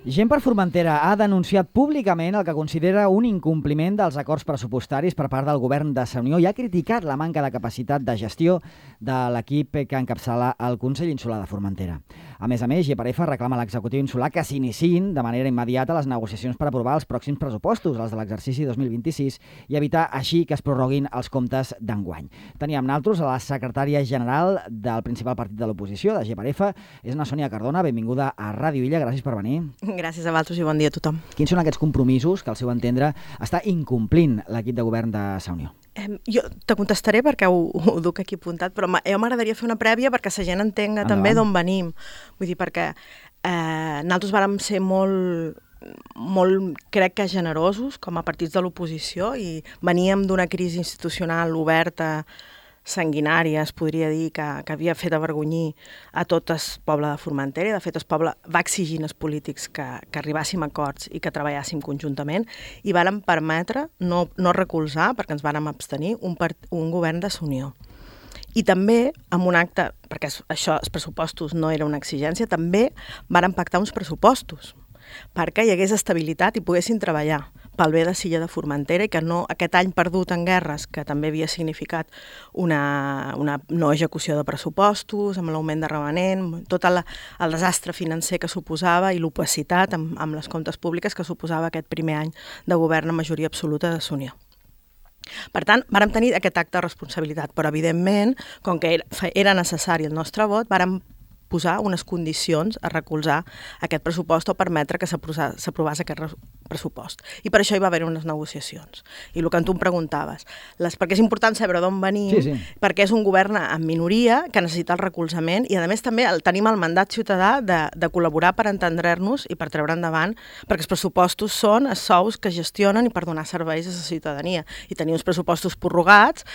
Gent per Formentera ha denunciat públicament el que considera un incompliment dels acords pressupostaris per part del govern de Sa Unió i ha criticat la manca de capacitat de gestió de l'equip que encapçala el Consell Insular de Formentera. A més, GPRF reclama a l'executiu insular que s'iniciïn de manera immediata les negociacions per aprovar els pròxims pressupostos, els de l'exercici 2026, i evitar així que es prorroguin els comptes d'enguany. Teníem naltros a la secretària general del principal partit de l'oposició, de GPRF, és na Sònia Cardona. Benvinguda a Ràdio Illa, gràcies per venir. Gràcies a vosaltres i bon dia a tothom. Quins són aquests compromisos que, al seu entendre, està incomplint l'equip de govern de Sa Unió? Jo te contestaré perquè ho duc aquí apuntat, però m'agradaria fer una prèvia perquè la gent entenga també d'on venim. Vull dir, perquè nosaltres vàrem ser molt, crec que generosos com a partits de l'oposició i veníem d'una crisi institucional oberta, sanguinària, es podria dir, que havia fet avergonyir a tot el poble de Formentera i, de fet, el poble va exigir als polítics que arribàssim a acords i que treballàssim conjuntament i vàrem permetre no recolzar, perquè ens vàrem abstenir, un govern de Sa Unió. I també, amb un acte, perquè això, els pressupostos no era una exigència, també vàrem pactar uns pressupostos perquè hi hagués estabilitat i poguessin treballar pel bé de l'illa de Formentera i que no, aquest any perdut en guerres, que també havia significat una no execució de pressupostos, amb l'augment de remanent, tot el desastre financer que suposava i l'opacitat amb les comptes públiques que suposava aquest primer any de govern a majoria absoluta de Sa Unió. Per tant, vàrem tenir aquest acte de responsabilitat, però evidentment, com que era necessari el nostre vot, vàrem posar unes condicions a recolzar aquest pressupost o permetre que s'aprovés aquest pressupost. I per això hi va haver unes negociacions. I el que tu em preguntaves, perquè és important saber d'on venim, perquè és un govern en minoria que necessita el recolzament i, a més, també tenim el mandat ciutadà de col·laborar per entendre-nos i per treure endavant, perquè els pressupostos són els sous que gestionen i per donar serveis a la ciutadania. I tenir uns pressupostos prorrogats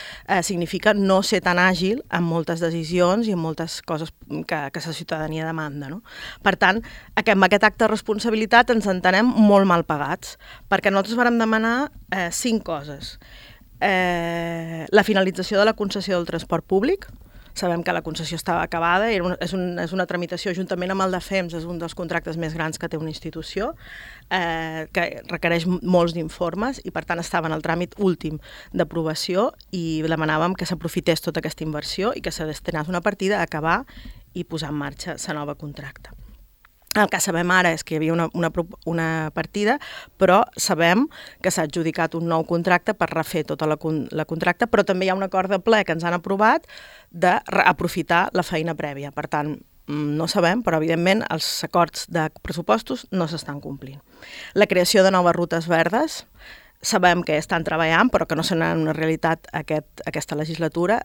significa no ser tan àgil en moltes decisions i en moltes coses que la ciutadania demanda. No? Per tant, amb aquest acte de responsabilitat ens entenem molt mal pagats, perquè nosaltres vàrem demanar 5 coses. La finalització de la concessió del transport públic. Sabem que la concessió estava acabada, és una tramitació juntament amb el de FEMS, és un dels contractes més grans que té una institució, que requereix molts d'informes i per tant estava en el tràmit últim d'aprovació i demanàvem que s'aprofités tota aquesta inversió i que se destinés una partida a acabar i posar en marxa la nova contracte. El que sabem ara és que hi havia una partida, però sabem que s'ha adjudicat un nou contracte per refer tota la contracta, però també hi ha un acord de ple que ens han aprovat d'aprofitar la feina prèvia. Per tant, no sabem, però evidentment els acords de pressupostos no s'estan complint. La creació de noves rutes verdes, sabem que estan treballant, però que no seran una realitat aquesta legislatura,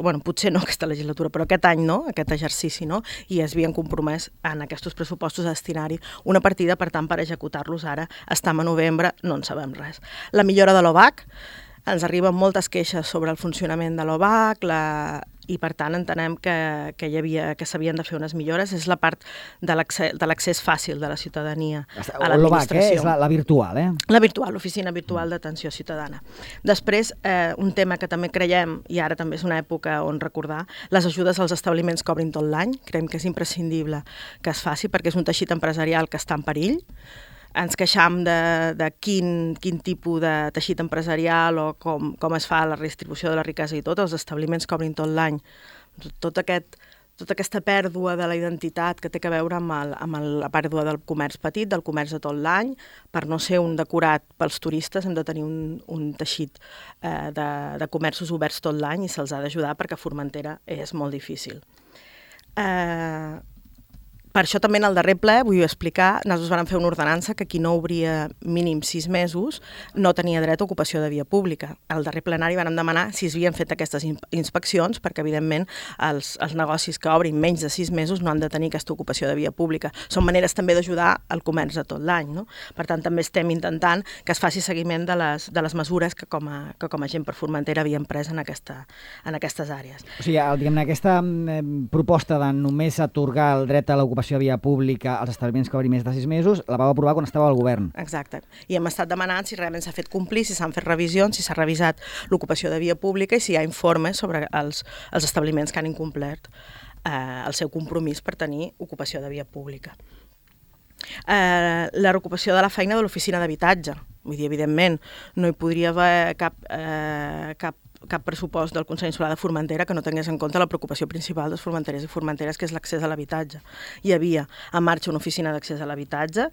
bueno, potser no aquesta legislatura, però aquest any no, aquest exercici no, i es havien compromès en aquests pressupostos a destinar-hi una partida, per tant, per executar-los ara, estem a novembre, no en sabem res. La millora de l'OVAC, ens arriben moltes queixes sobre el funcionament de l'OVAC, i per tant entenem que s'havien de fer unes millores. És la part de l'accés fàcil de la ciutadania a l'administració. L'OVAC, és la virtual, La virtual, l'Oficina Virtual d'Atenció Ciutadana. Després, un tema que també creiem, i ara també és una època on recordar, les ajudes als establiments que obrin tot l'any. Creiem que és imprescindible que es faci perquè és un teixit empresarial que està en perill. Ens queixam de quin tipus de teixit empresarial o com es fa la redistribució de la riquesa i tot, els establiments que obrin tot l'any. Tota aquesta pèrdua de la identitat que té a veure amb la pèrdua del comerç petit, del comerç de tot l'any, per no ser un decorat pels turistes hem de tenir un teixit de comerços oberts tot l'any i se'ls ha d'ajudar perquè a Formentera és molt difícil. Per això també en el darrer ple vull explicar, nosaltres vam fer una ordenança que qui no obria mínim 6 mesos no tenia dret a ocupació de via pública. Al darrer plenari vam demanar si s'havien fet aquestes inspeccions perquè, evidentment, els negocis que obrin menys de 6 mesos no han de tenir aquesta ocupació de via pública. Són maneres també d'ajudar al comerç de tot l'any. No? Per tant, també estem intentant que es faci seguiment de les mesures que com a gent per Formentera havíem pres en aquestes àrees. O sigui, aquesta proposta de només atorgar el dret a l'ocupació de via pública als establiments que obrin més de 6 mesos, la vau aprovar quan estava al govern. Exacte. I hem estat demanant si realment s'ha fet complir, si s'han fet revisions, si s'ha revisat l'ocupació de via pública i si hi ha informes sobre els establiments que han incomplert el seu compromís per tenir ocupació de via pública. La reocupació de la feina de l'oficina d'habitatge. Vull dir, evidentment, no hi podria haver cap pressupost del Consell Insular de Formentera que no tingués en compte la preocupació principal dels formenteres i formenteres, que és l'accés a l'habitatge. Hi havia en marxa una oficina d'accés a l'habitatge,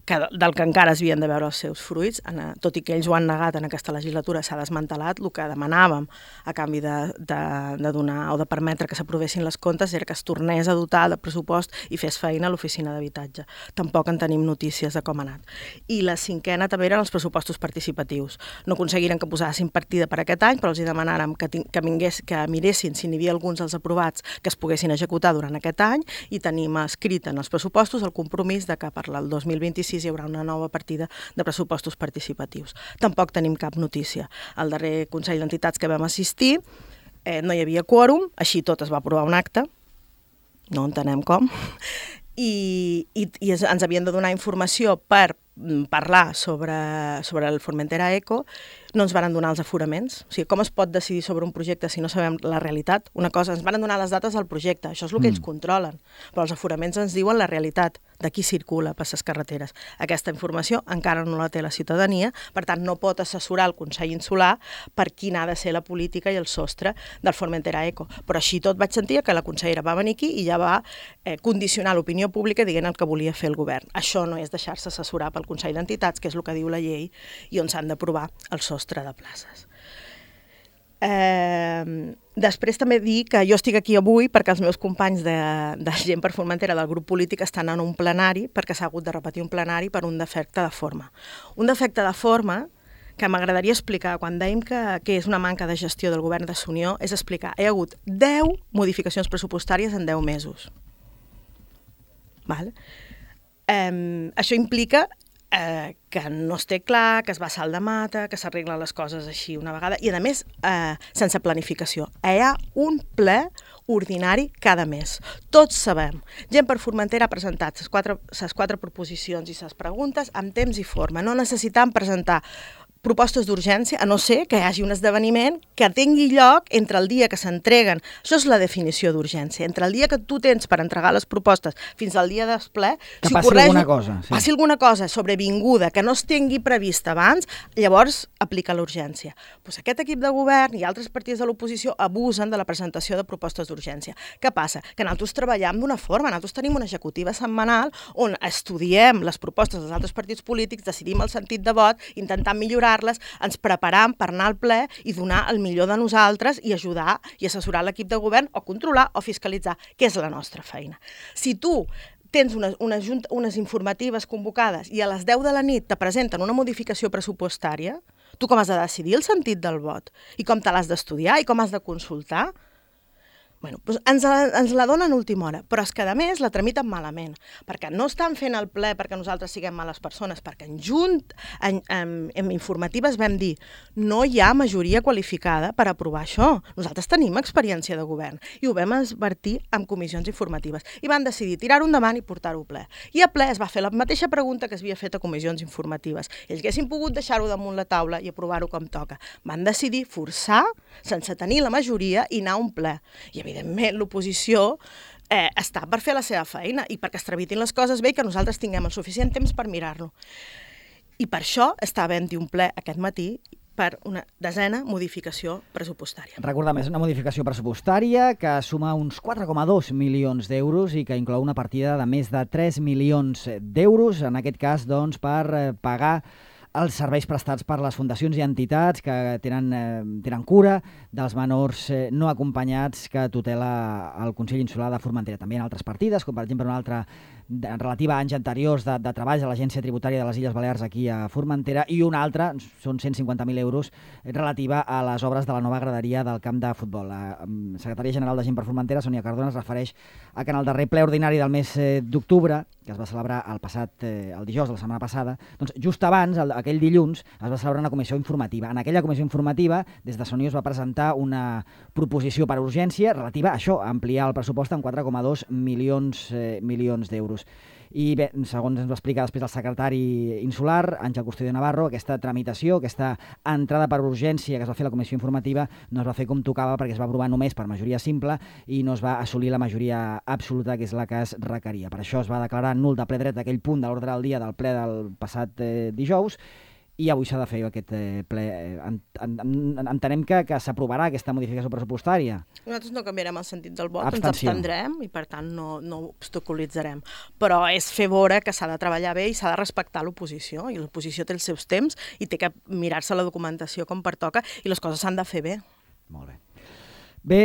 del que encara es havien de veure els seus fruits, tot i que ells ho han negat en aquesta legislatura, s'ha desmantelat. El que demanàvem a canvi de donar o de permetre que s'aprovessin les comptes era que es tornés a dotar de pressupost i fes feina a l'oficina d'habitatge. Tampoc en tenim notícies de com ha anat. I la cinquena també eren els pressupostos participatius. No aconseguiren que posessin partida per aquest any, però els demanàrem que miressin si n'hi havia alguns dels aprovats que es poguessin executar durant aquest any, i tenim escrit en els pressupostos el compromís de que per al 2026 hi haurà una nova partida de pressupostos participatius. Tampoc tenim cap notícia. Al darrer Consell d'Entitats que vam assistir no hi havia quòrum, així tot es va aprovar un acte, no entenem com, i ens havien de donar informació per parlar sobre el Formentera Eco. No ens van donar els aforaments. O sigui, com es pot decidir sobre un projecte si no sabem la realitat? Una cosa, ens van donar les dates del projecte, això és el que ells controlen, però els aforaments ens diuen la realitat de qui circula per les carreteres. Aquesta informació encara no la té la ciutadania, per tant no pot assessorar el Consell Insular per quina ha de ser la política i el sostre del Formentera Eco. Però així tot vaig sentir que la consellera va venir aquí i ja va condicionar l'opinió pública dient el que volia fer el govern. Això no és deixar-se assessorar pel Consell d'Entitats, que és el que diu la llei, i on s'han d'aprovar el sostre de places. Després també dir que jo estic aquí avui perquè els meus companys de Gent per Formentera del grup polític estan en un plenari, perquè s'ha hagut de repetir un plenari per un defecte de forma. Un defecte de forma que m'agradaria explicar, quan dèiem que és una manca de gestió del govern de Sunió, és explicar, hi ha hagut 10 modificacions pressupostàries en 10 mesos. Val? Això implica que no es té clar, que es va a salt de mata, que s'arreglen les coses així una vegada, i a més sense planificació. Hi ha un ple ordinari cada mes. Tots sabem. Gent per Formentera ha presentat les quatre proposicions i les preguntes amb temps i forma. No necessitem presentar propostes d'urgència, a no ser que hi hagi un esdeveniment que tingui lloc entre el dia que s'entreguen. Això és la definició d'urgència. Entre el dia que tu tens per entregar les propostes fins al dia del ple, que passi alguna cosa. Sí. Passi alguna cosa sobrevinguda que no es tingui prevista abans, llavors aplica l'urgència. Doncs aquest equip de govern i altres partits de l'oposició abusen de la presentació de propostes d'urgència. Què passa? Que nosaltres treballem d'una forma, nosaltres tenim una executiva setmanal on estudiem les propostes dels altres partits polítics, decidim el sentit de vot, intentant millorar ens preparam per anar al ple i donar el millor de nosaltres i ajudar i assessorar l'equip de govern o controlar o fiscalitzar, que és la nostra feina. Si tu tens unes informatives convocades i a les 10 de la nit te presenten una modificació pressupostària, tu com has de decidir el sentit del vot i com te l'has d'estudiar i com has de consultar? Bueno, doncs ens la donen a última hora, però és que a més la tramiten malament, perquè no estan fent el ple perquè nosaltres siguem males persones, perquè en informatives vam dir no hi ha majoria qualificada per aprovar això. Nosaltres tenim experiència de govern i ho vam advertir en comissions informatives i van decidir tirar-ho endavant i portar-ho a ple. I a ple es va fer la mateixa pregunta que es havia fet a comissions informatives. Ells haguessin pogut deixar-ho damunt la taula i aprovar-ho com toca. Van decidir forçar, sense tenir la majoria, i anar a un ple. I evidentment l'oposició està per fer la seva feina i perquè es tramitin les coses bé i que nosaltres tinguem el suficient temps per mirar-lo. I per això està havent-hi un ple aquest matí per una desena modificació pressupostària. Recordem, és una modificació pressupostària que suma uns 4,2 milions d'euros i que inclou una partida de més de 3 milions d'euros, en aquest cas doncs, per pagar els serveis prestats per les fundacions i entitats que tenen cura dels menors no acompanyats que tutela el Consell Insular de Formentera. També hi ha altres partides, com per exemple una altra relativa a anys anteriors de treball a l'Agència Tributària de les Illes Balears aquí a Formentera, i una altra, són 150.000 euros, relativa a les obres de la nova graderia del camp de futbol. La secretària general de Gent per Formentera, Sònia Cardona, es refereix a que en el darrer ple ordinari del mes d'octubre, que es va celebrar el dijous de la setmana passada, doncs just abans, aquell dilluns, es va celebrar una comissió informativa. En aquella comissió informativa, des de Sonió es va presentar una proposició per urgència relativa a això, a ampliar el pressupost en 4,2 milions d'euros. I bé, segons ens va explicar després el secretari insular, Àngel Custodio Navarro, aquesta tramitació, aquesta entrada per urgència que es va fer a la comissió informativa no es va fer com tocava perquè es va aprovar només per majoria simple i no es va assolir la majoria absoluta, que és la que es requeria. Per això es va declarar nul de ple dret aquell punt de l'ordre del dia del ple del passat dijous, i avui s'ha de fer aquest ple. Entenem que s'aprovarà aquesta modificació pressupostària. Nosaltres no canviarem el sentit del vot, ens abstendrem i per tant no obstaculitzarem. Però és fer veure que s'ha de treballar bé i s'ha de respectar l'oposició, i l'oposició té els seus temps i té que mirar-se la documentació com pertoca i les coses s'han de fer bé. Molt bé. Bé,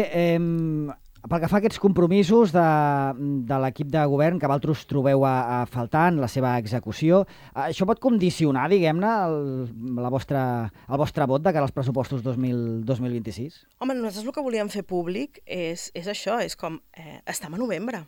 pel que fa a aquests compromisos de l'equip de govern que vosaltres trobeu a faltar en la seva execució, això pot condicionar, diguem-ne, el vostre vot de cara als pressupostos 2026? Home, nosaltres el que volíem fer públic és això, és com estem a novembre.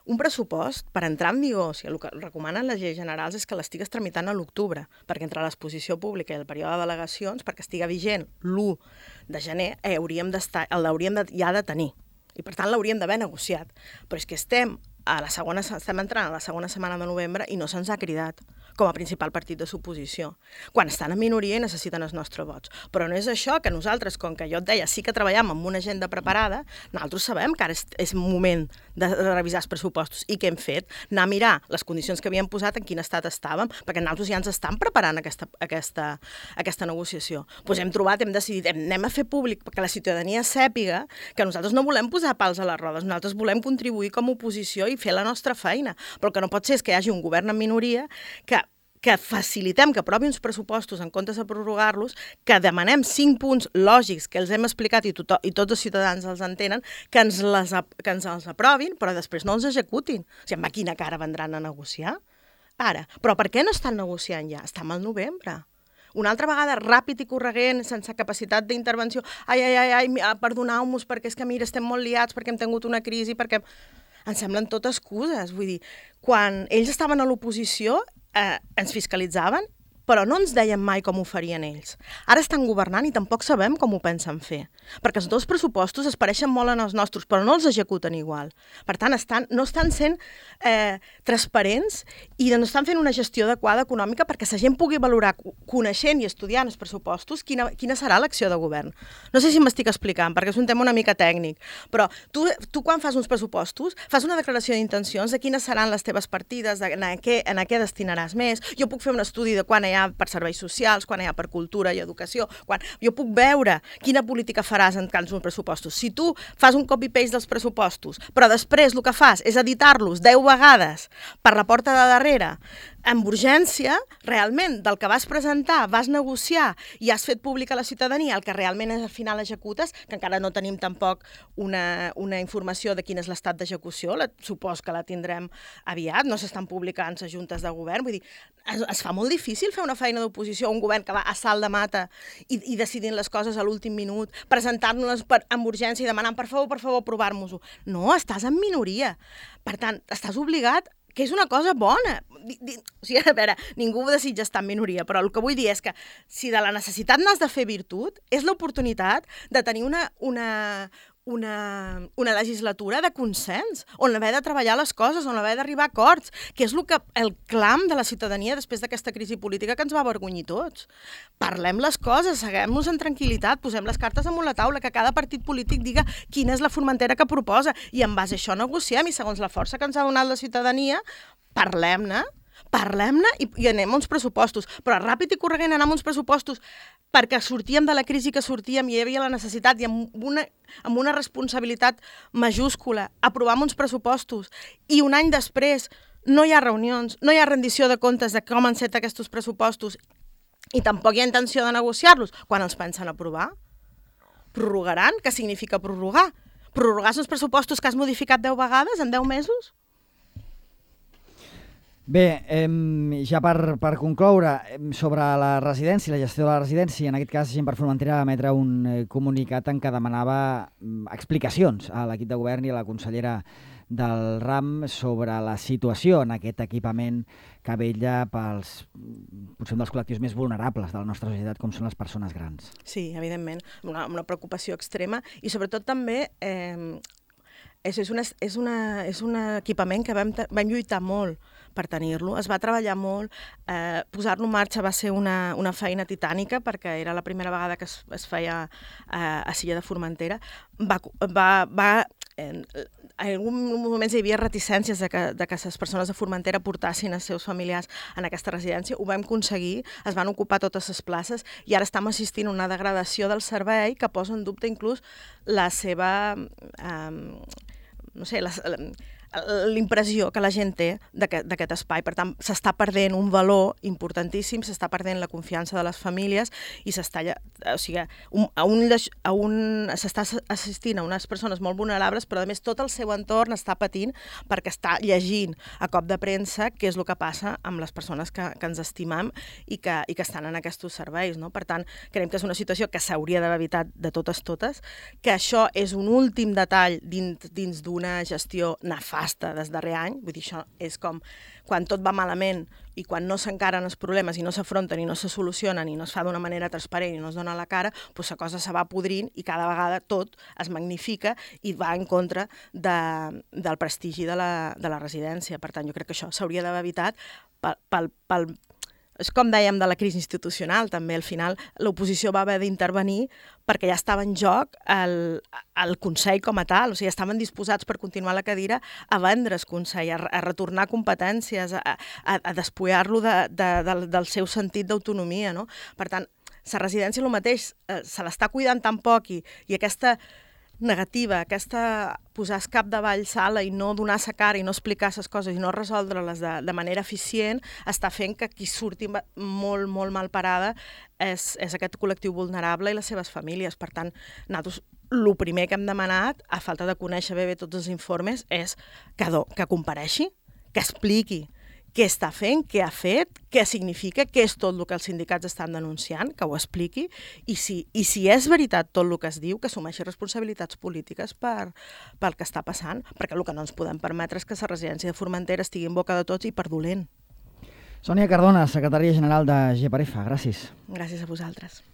Un pressupost, per entrar en vigor, el que recomanen les lleis generals és que l'estigues tramitant a l'octubre, perquè entre l'exposició pública i el període de delegacions, perquè estiga vigent l'1 de gener, l'hauríem ja de tenir. I per tant l'hauríem d'haver negociat. Però és que estem entrant a la segona setmana de novembre i no se'ns ha cridat com a principal partit de l'oposició, quan estan en minoria i necessiten els nostres vots. Però no és això, que nosaltres, com que jo et deia, sí que treballem amb una agenda preparada, nosaltres sabem que ara és moment de revisar els pressupostos. I què hem fet? Anar a mirar les condicions que havíem posat, en quin estat estàvem, perquè nosaltres ja ens estan preparant aquesta negociació. Doncs hem trobat, hem decidit, anem a fer públic perquè la ciutadania sàpiga que nosaltres no volem posar pals a les rodes, nosaltres volem contribuir com a oposició i fer la nostra feina. Però el que no pot ser és que hi hagi un govern en minoria que facilitem que aprovi uns pressupostos en comptes de prorrogar-los, que demanem 5 punts lògics que els hem explicat i tots els ciutadans els entenen, que ens els aprovin, però després no els executin. O sigui, amb quina cara vendran a negociar? Ara. Però per què no estan negociant ja? Estem al novembre. Una altra vegada, ràpid i corregent, sense capacitat d'intervenció. Ai, perdoneu-nos, perquè és que, mira, estem molt liats, perquè hem tingut una crisi, perquè... Ens semblen tot excuses. Vull dir, quan ells estaven a l'oposició, ens fiscalitzaven, però no ens deien mai com ho farien ells. Ara estan governant i tampoc sabem com ho pensen fer, perquè els dos pressupostos es pareixen molt en els nostres, però no els executen igual. Per tant, no estan sent transparents i no estan fent una gestió adequada econòmica perquè la gent pugui valorar, coneixent i estudiant els pressupostos, quina serà l'acció de govern. No sé si m'estic explicant, perquè és un tema una mica tècnic, però tu quan fas uns pressupostos, fas una declaració d'intencions de quines seran les teves partides, en què destinaràs més. Jo puc fer un estudi de quan hi ha per serveis socials, quan hi ha per cultura i educació, quan jo puc veure quina política faràs en cada un pressupostos. Si tu fas un copy-paste dels pressupostos, però després el que fas és editar-los 10 vegades per la porta de darrere, amb urgència, realment, del que vas presentar, vas negociar i has fet públic a la ciutadania el que realment al final executes, que encara no tenim tampoc una informació de quin és l'estat d'execució, supos que la tindrem aviat, no s'estan publicant les juntes de govern, vull dir, es fa molt difícil fer una feina d'oposició a un govern que va a salt de mata i decidint les coses a l'últim minut, presentant-nos amb urgència i demanant, per favor, aprovar-nos-ho. No, estàs en minoria. Per tant, estàs obligat, que és una cosa bona. O sigui, a veure, ningú desitja estar en minoria, però el que vull dir és que si de la necessitat n'has de fer virtut, és l'oportunitat de tenir una legislatura de consens, on haver de treballar les coses, on haver d'arribar a acords, que és el clam de la ciutadania després d'aquesta crisi política que ens va avergonyir tots. Parlem les coses, seguem-nos en tranquil·litat, posem les cartes damunt la taula, que cada partit polític diga quina és la formentera que proposa, i en base a això negociem, i segons la força que ens ha donat la ciutadania, parlem-ne i anem a uns pressupostos, però ràpid i corregent anem a uns pressupostos perquè sortíem de la crisi que sortíem i hi havia la necessitat i amb una responsabilitat majúscula aprovar uns pressupostos i un any després no hi ha reunions, no hi ha rendició de comptes de com han set aquests pressupostos i tampoc hi ha intenció de negociar-los quan els pensen aprovar. Prorrogaran? Què significa prorrogar? Prorrogar uns pressupostos que has modificat 10 vegades en 10 mesos? Bé, ja per concloure, sobre la residència, la gestió de la residència, en aquest cas Gent per Formentera va emetre un comunicat en què demanava explicacions a l'equip de govern i a la consellera del RAM sobre la situació en aquest equipament que vetlla pels, potser un dels col·lectius més vulnerables de la nostra societat, com són les persones grans. Sí, evidentment, una preocupació extrema i sobretot també és un equipament que vam lluitar molt per tenir-lo. Es va treballar molt, posar-lo en marxa va ser una feina titànica perquè era la primera vegada que es feia a Silla de Formentera. En alguns moments hi havia reticències de que les persones de Formentera portassin els seus familiars en aquesta residència. Ho vam aconseguir, es van ocupar totes les places i ara estem assistint a una degradació del servei que posa en dubte inclús la seva... no sé, l'impressió que la gent té d'aquest espai. Per tant, s'està perdent un valor importantíssim, s'està perdent la confiança de les famílies i s'està assistint a unes persones molt vulnerables, però a més tot el seu entorn està patint perquè està llegint a cop de premsa què és el que passa amb les persones que ens estimam i que estan en aquests serveis. No? Per tant, creiem que és una situació que s'hauria d'haver evitat de totes, que això és un últim detall dins d'una gestió nefasta des darrer any, vull dir, això és com quan tot va malament i quan no s'encaren els problemes i no s'afronten i no se solucionen i no es fa d'una manera transparent i no es dona la cara, doncs la cosa se va podrint i cada vegada tot es magnifica i va en contra del prestigi de la residència. Per tant, jo crec que això s'hauria d'haver evitat és com dèiem de la crisi institucional, també al final l'oposició va haver d'intervenir perquè ja estava en joc el Consell com a tal, o sigui, estaven disposats per continuar la cadira a vendre's Consell, a retornar competències, a despullar-lo del seu sentit d'autonomia, no? Per tant, la residència el mateix, se l'està cuidant tan poc i aquesta negativa, aquesta posar el cap davall sala i no donar sa cara i no explicar les coses i no resoldre-les de manera eficient, està fent que qui surti molt, molt mal parada és aquest col·lectiu vulnerable i les seves famílies. Per tant, nosaltres el primer que hem demanat, a falta de conèixer bé tots els informes, és que compareixi, que expliqui què està fent, què ha fet, què significa, què és tot el que els sindicats estan denunciant, que ho expliqui, i si és veritat tot el que es diu, que assumeixi responsabilitats polítiques pel que està passant, perquè el que no ens podem permetre és que la residència de Formentera estigui en boca de tots i per dolent. Sònia Cardona, secretària general de GEPAREFA, gràcies. Gràcies a vosaltres.